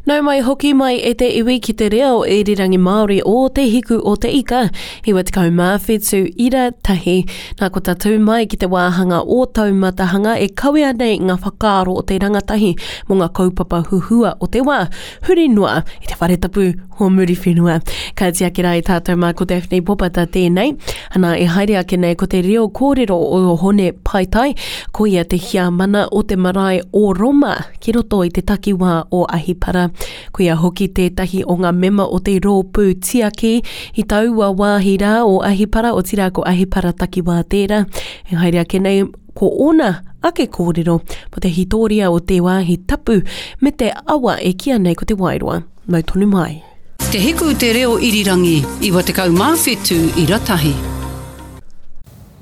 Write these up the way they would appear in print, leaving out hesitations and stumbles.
Nau mai hoki mai e te iwi ki te reo irirangi Māori o Te Hiku o Te Ika, 97 ira tahi. Nā ko tatū mai ki te wāhanga o Taumatahanga e kawea nei ngā whakaaro o te rangatahi mō ngā kaupapa huhua o te wā, huri noa i te whare tapu o Muriwhenua. Ka tiaki rā i tātou mā ko Daphne Popata tēnei. Ana e haere ake nei ko te reo kōrero o Hone Paetai, ko ia te hiamana o te marae o Roma ki roto i te takiwā o Ahipara. Ko ia hoki tētahi o ngā mema o te rōpū tiaki i taua wāhi rā o Ahipara, otirā ko Ahipara takiwā tērā. E haere ake nei ko ōna ake kōrero mō te hītōria o te wāhi tapu me te awa e kīa nei ko Te Wairoa. Mau tonu mai. Te Hiku Te Reo Irirangi 97 ira tahi.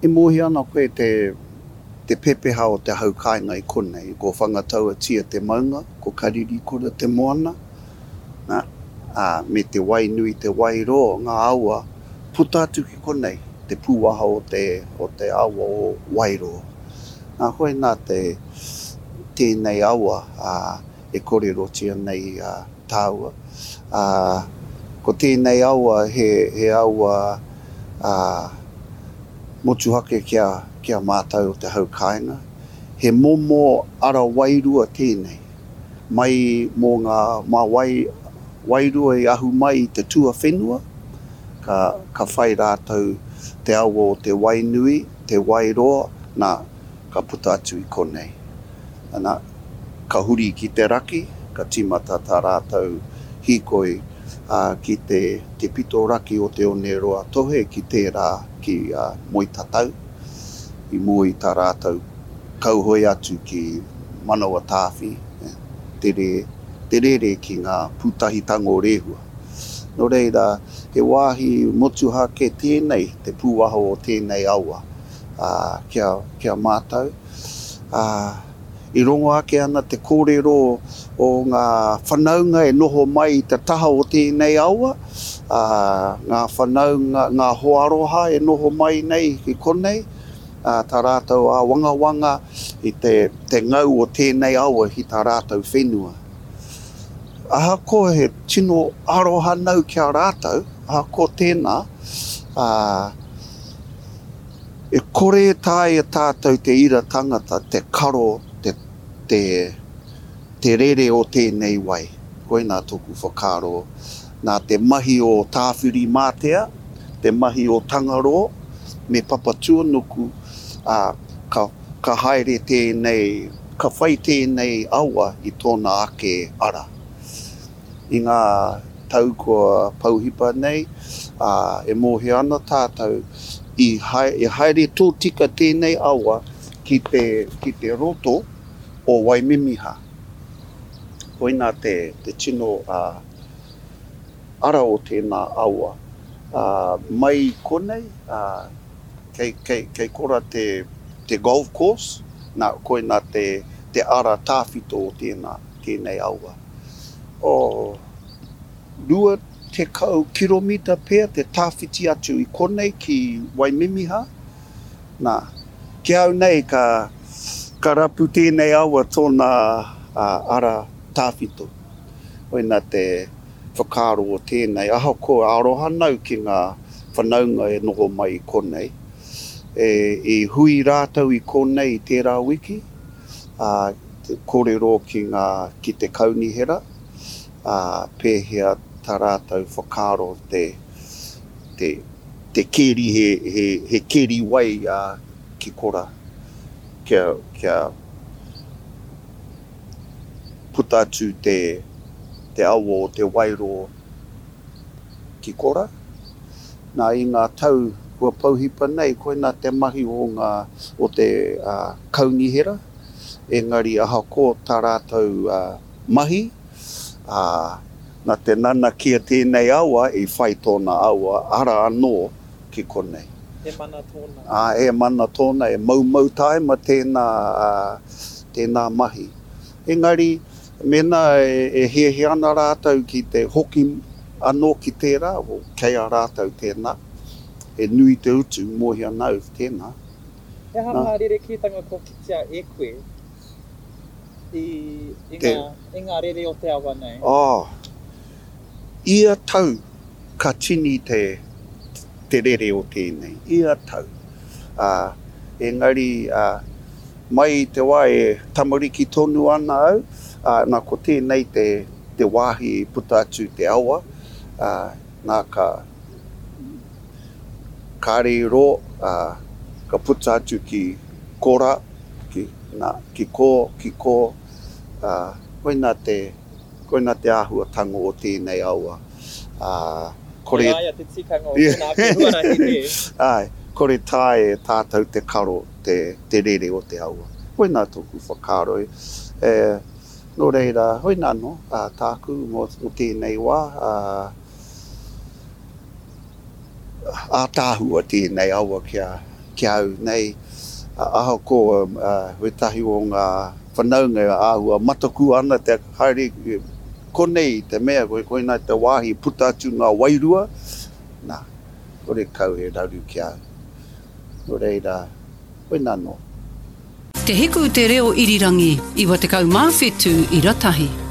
E mōhio ana koe te te pepeha o te hau kāinga i konei, ko Whangatauatia te maunga, ko Karirikura te moana, nā, ā, me te Wainui te Wairō, ngā awa, puta atu ki konei, te pūaha o te, o te awa o Wairō. Nā, koinā te, tēnei awa, ā, e kōrerotia nei tāua. Ā, ko tēnei awa he, he awa, ā, motuhake ki a, ki a mātou o te hau kāinga. He momo ara wairua tēnei, mai mō ngā, mā wai, wairua i ahu mai i te tuawhenua, ka, ka whai rātou te awa o te Wainui, te Wairoa, nā, ka puta atu i konei. Ana, ka huri ki te raki, ka tīmata tā rātou hīkoi ki te te pito raki o Te Oneroa Tohe ki tērā ki Moetatau, i mua i tā rātou kauhoe atu ki Manawatāwhi, te te rere ki ngā pūtahitanga o Rehua. Nō reira, he wāhi motuhake tēnei, te pūaho o tēnei awa, kia, kia mātau. Ā, i rongo ake ana te kōrero o ngā whanaunga e noho mai i te taha o tēnei awa, ā, ngā whanaunga, ngā hoa aroha e noho mai nei ki konei, ā, tā rātou āwangawanga i te, te ngau o tēnei awa ki tā rātou whenua. Ahakoa he tino aroha nau ki a rātou, ahakoa tēnā, ā, E kore e taea tātou te ira tangata te karo te, te, te rere o tēnei wai. Koinā tōku whakaaro. Nā te mahi o Tāwhirimātea, te mahi o Tangaroa me Papatuanuku, ā, ka, ka haere tēnei, ka whai tēnei awa i tōna ake ara. I ngā tau kua pouhipa nei, ā, e mōhio ana tātou i i haere tōtika tēnei awa ki te, ki te roto o Waimimiha. Koinā te, te tino ā, ara o tēnā awa. Ā, mai i konei, ā, kei, kei, kei kora te, te golf course, nā, koinā te, te ara tāwhito o tēnā, tēnei awa. Oh, 20 kiromita pea te tawhiti atu i konei ki Waimimiha. Nā, ki au nei ka, ka rapu tēnei awa tōna ara tawhito. Koina te whakaaro o tēnei, ahakoa aroha nau ki ngā whanaunga e noho mai i konei. E, i hui rātou i konei i tērā wiki, ā, kōrero ki ngā, ki te kaunihera, ā, pēhea tā rātou whakaaro te, te, te keri he, he, he keri wai, ā, ki kora, kia, kia puta atu te, te awa o Te Wairoa ki kora. Nā, i ngā tau kua pouhipa nei, koinā te mahi o ngā, o te kaunihera, engari ahakoa tā rātou mahi, ā, nā te nanakia tēnei awa i whai tōna awa ara anō ki konei. He mana tōna. Ā, he mana tōna, e moumou tāima tēnā, tēnā mahi. Engari, mēnā e hiahia ana rātou ki te hoki anō ki tērā, kei a rātou tēnā, he nui te utu, mōhio ana au tēnā. He aha ngā rerekētanga kua kitea e koe? i, i, ngā, i ngā rere o te awa nei? Oh, ia tau ka tini te, te rere o tēnei, ia tau. Ā, engari, ā, mai i te wā e tamariki tonu ana au, ā, nā ko tēnei te, te wāhi i puta atu te awa, ā, nā ka, kāre i rō, ā, ka puta atu ki kora, ki, nā, ki kō, ki kō, ā, koinā te, koinā te āhuatanga o tēnei awa, ā, kore. Ki a ia te tikanga o tōna ake huarahi, nē? Āe, kore taea e tātou te karo te, te rere o te awa. Koinā tōku whakaaro, e, nō reira, hoina anō, ā, tāku mō, mō tēnei wā, ā, Ātaahua tēnei awa ki a au nei, ahakoa wētahi o ngā whanaunga e āhua mataku ana te haere konei i te mea koinā te wāhi i puta atu ngā wairua, nā, horekau he raru ki a au. Nō reira, koinā noa. Te Hiku Te Reo Irirangi, 97 ira tahi.